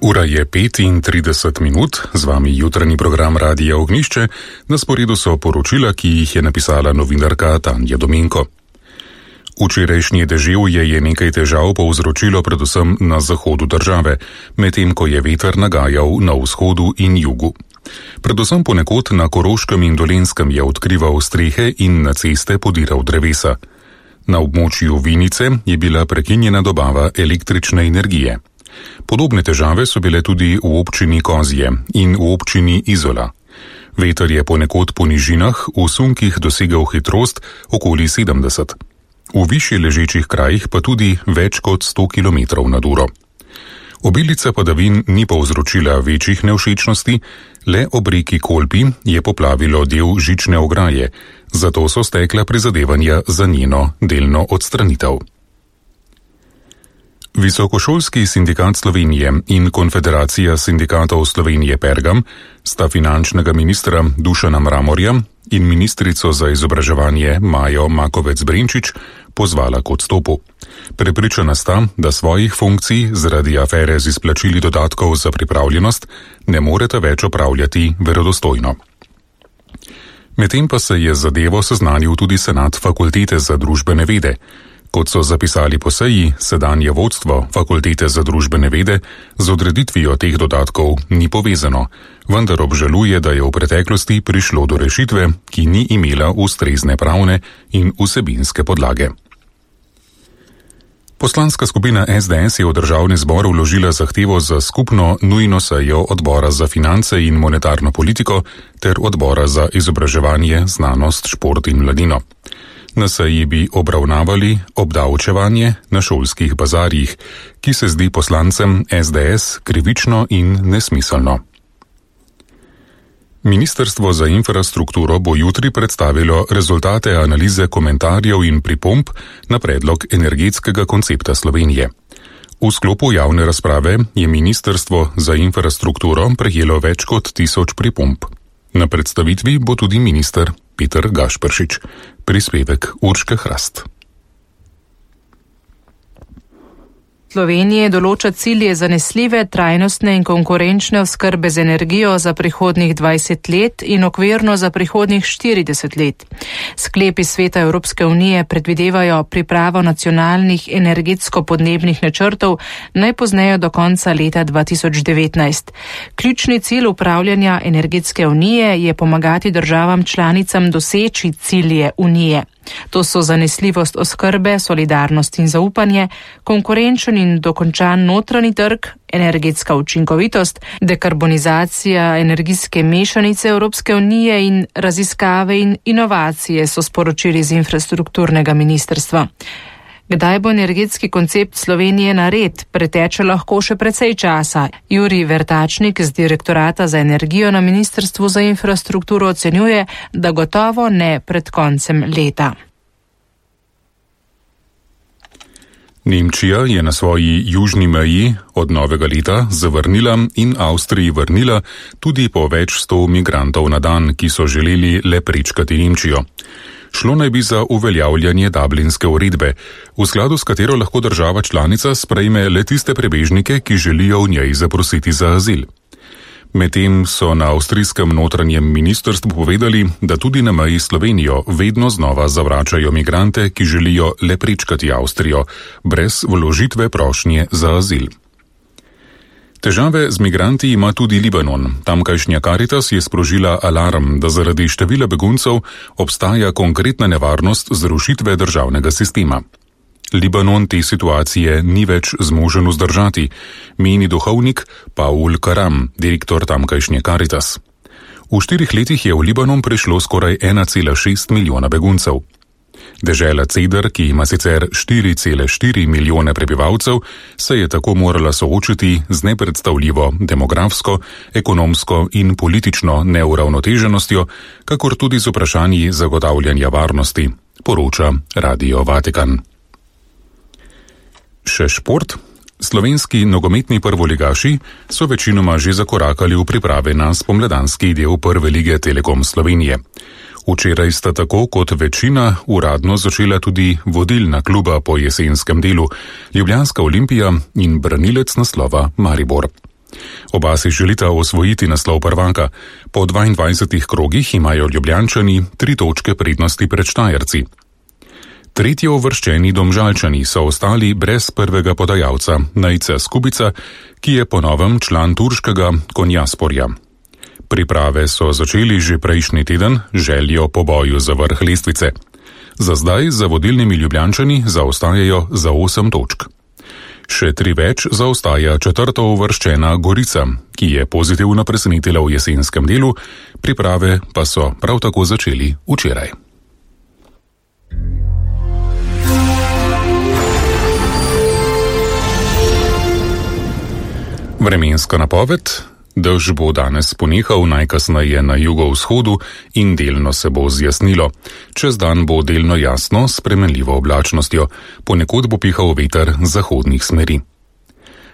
Ura je 35 minut, z vami jutranji program Radia Ognjišče, na sporedu so poročila, ki jih je napisala novinarka Tanja Dominko. Včerajšnje deževje je nekaj težav povzročilo predvsem na zahodu države, medtem ko je veter nagajal na vzhodu in jugu. Predvsem ponekod na Koroškem in Dolenjskem je odkrival strehe in na ceste podiral drevesa. Na območju Vinice je bila prekinjena dobava električne energije. Podobne težave so bile tudi v občini Kozje in v občini Izola. Veter je ponekod po nižinah v sunkih dosegal hitrost okoli 70. V višje ležečih krajih pa tudi več kot 100 km/h. Obilica padavin ni povzročila večjih nevšečnosti, le ob reki Kolpi je poplavilo del žične ograje, zato so stekla prizadevanja za njeno delno odstranitev. Visokošolski sindikat Slovenije in Konfederacija sindikatov Slovenije Pergam sta finančnega ministra Dušana Mramorja in ministrico za izobraževanje Majo Makovec Brenčič pozvala k odstopu. Prepričana sta, da svojih funkcij zaradi afere z izplačili dodatkov za pripravljenost ne moreta več opravljati verodostojno. Medtem pa se je zadevo seznanil tudi senat Fakultete za družbene vede. Kot so zapisali po seji, sedanje vodstvo Fakultete za družbene vede z odreditvijo teh dodatkov ni povezano, vendar obžaluje, da je v preteklosti prišlo do rešitve, ki ni imela ustrezne pravne in vsebinske podlage. Poslanska skupina SDS je v državni zbor vložila zahtevo za skupno nujno sejo odbora za finance in monetarno politiko ter odbora za izobraževanje, znanost, šport in mladino. Na seji bi obravnavali obdavčevanje na šolskih bazarjih, ki se zdi poslancem SDS krivično in nesmiselno. Ministrstvo za infrastrukturo bo jutri predstavilo rezultate analize komentarjev in pripomb na predlog energetskega koncepta Slovenije. V sklopu javne razprave je Ministrstvo za infrastrukturo prejelo več kot 1000 pripomb. Na predstavitvi bo tudi minister Peter Gašperšič. Prispevek Urške Hrast. Slovenije določa cilje zanesljive, trajnostne in konkurenčne oskrbe z energijo za prihodnjih 20 let in okvirno za prihodnjih 40 let. Sklepi Sveta Evropske unije predvidevajo pripravo nacionalnih energetsko-podnebnih načrtov najpozneje do konca leta 2019. Ključni cilj upravljanja energetske unije je pomagati državam članicam doseči cilje unije. To so zanesljivost oskrbe, solidarnost in zaupanje, konkurenčen in dokončan notranji trg, energetska učinkovitost, dekarbonizacija energijske mešanice Evropske unije in raziskave in inovacije, so sporočili z infrastrukturnega ministrstva. Kdaj bo energetski koncept Slovenije nared, preteče lahko še precej časa. Jurij Vertačnik z Direktorata za energijo na Ministrstvu za infrastrukturo ocenjuje, da gotovo ne pred koncem leta. Nemčija je na svoji južni meji od novega leta zavrnila in Avstriji vrnila tudi po več 100 migrantov na dan, ki so želeli le prečkati Nemčijo. Šlo naj bi za uveljavljanje Dublinske uredbe, v skladu s katero lahko država članica sprejme le tiste prebežnike, ki želijo v njej zaprositi za azil. Medtem so na avstrijskem notranjem ministrstvu povedali, da tudi na meji Slovenijo vedno znova zavračajo migrante, ki želijo le prečkati Avstrijo, brez vložitve prošnje za azil. Težave z migranti ima tudi Libanon. Tamkajšnja Karitas je sprožila alarm, da zaradi števila beguncev obstaja konkretna nevarnost zrušitve državnega sistema. Libanon te situacije ni več zmožen vzdržati, meni duhovnik Paul Karam, direktor tamkajšnje Karitas. V 4 letih je v Libanon prišlo skoraj 1,6 milijona beguncev. Dežela Ceder, ki ima sicer 4,4 milijone prebivalcev, se je tako morala soočiti z nepredstavljivo demografsko, ekonomsko in politično neuravnoteženostjo, kakor tudi z vprašanji zagotavljanja varnosti, poroča Radio Vatikan. Še šport. Slovenski nogometni prvoligaši so večinoma že zakorakali v priprave na spomladanski del prve lige Telekom Slovenije. Včeraj sta tako kot večina uradno začela tudi vodilna kluba po jesenskem delu, Ljubljanska Olimpija in branilec naslova Maribor. Oba si želita osvojiti naslov prvaka. Po 22 krogih imajo Ljubljančani 3 točke prednosti pred Štajerci. Tretjo uvrščeni Domžalčani so ostali brez prvega podajalca, Nejca Skubica, ki je po novem član turškega Konjasporja. Priprave so začeli že prejšnji teden, željo po boju za vrh lestvice. Za zdaj za vodilnimi Ljubljančani zaostajajo za 8 točk. Še 3 več zaostaja četrto uvrščena Gorica, ki je pozitivno presenetila v jesenskem delu, priprave pa so prav tako začeli včeraj. Vremenska napoved. Dež bo danes ponehal najkasneje na jugovzhodu in delno se bo zjasnilo. Čez dan bo delno jasno s spremenljivo oblačnostjo, ponekod bo pihal veter zahodnih smeri.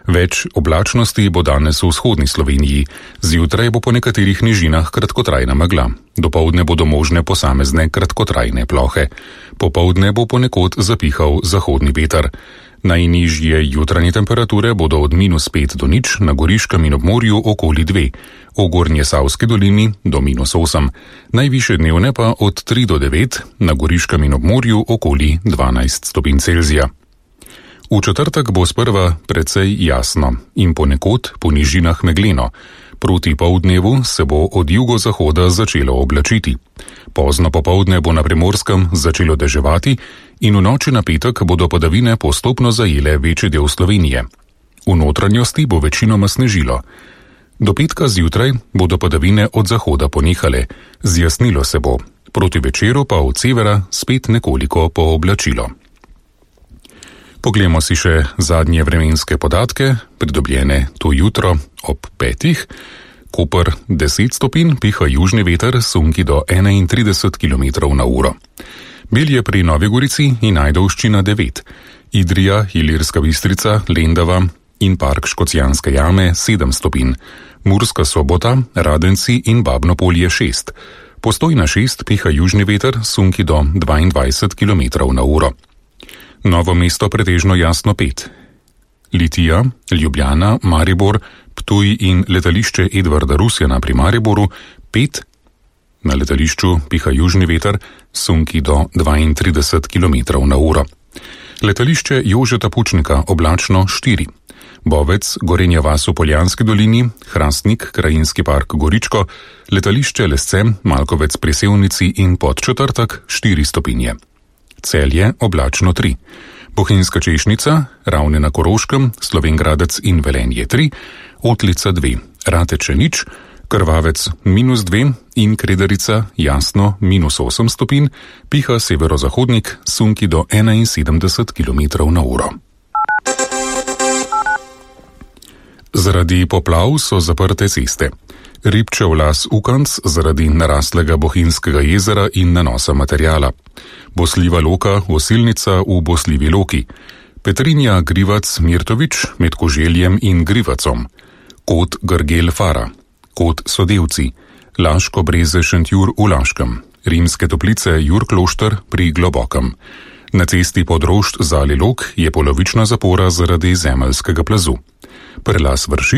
Več oblačnosti bo danes v vzhodni Sloveniji, zjutraj bo po nekaterih nižinah kratkotrajna megla. Dopoldne bodo možne posamezne kratkotrajne plohe. Popoldne bo ponekod zapihal zahodni veter. Najnižje jutranje temperature bodo od -5 do 0 na Goriškem in ob morju okoli 2, v Gornjesavski dolini do -8, najvišje dnevne pa od 3 do 9, na Goriškem in ob morju okoli 12 stopinj Celzija. V četrtek bo sprva precej jasno in ponekod po nižinah megleno. Proti poldnevu se bo od jugozahoda začelo oblačiti. Pozno popoldne bo na Primorskem začelo deževati in v noči na petek bodo padavine postopno zajele večji del Slovenije. V notranjosti bo večinoma snežilo. Do petka zjutraj bodo padavine od zahoda ponehale, zjasnilo se bo, proti večeru pa od severa spet nekoliko pooblačilo. Poglejmo si še zadnje vremenske podatke, pridobljene to jutro ob 5. Koper 10 stopinj, piha južni veter, sunki do 31 km/h. Belje pri Novi Gorici in Ajdovščina 9, Idrija, Ilirska Bistrica, Lendava in Park Škocjanske jame 7 stopinj, Murska Sobota, Radenci in Babnopolje 6, Postojna 6, piha južni veter, sunki do 22 km/h. Novo mesto pretežno jasno 5. Litija, Ljubljana, Maribor, Ptuj in letališče Edvarda Rusjana pri Mariboru 5. Na letališču piha južni veter, sunki do 32 km/h. Letališče Jožeta Pučnika oblačno 4. Bovec, Gorenja vas v Poljanski dolini, Hrastnik, Krajinski park Goričko, letališče Lesce, Malkovec pri Sevnici in Podčetrtek 4 stopinje. Celje oblačno 3. Bohinjska Češnica, Ravne na Koroškem, Slovenj Gradec in Velenje 3, Otlica 2, Rateče 0, Krvavec -2 in Kredarica jasno -8 stopinj, piha severozahodnik, sunki do 71 km/h. Zaradi poplav so zaprte ceste. Ribčev las Ukanc zaradi naraslega Bohinjskega jezera in nanosa materijala. Bosljiva Loka Osilnica v Bosljivi Loki. Petrinja Grivac Mirtovič med Koželjem in Grivacom. Kot Grgel Fara. Kot Sodevci. Laško Breze Šentjur v Laškem. Rimske Toplice Jurklošter pri Globokem. Na cesti Podrošt Zali Lok je polovična zapora zaradi zemeljskega plazu. Prelaz Vršič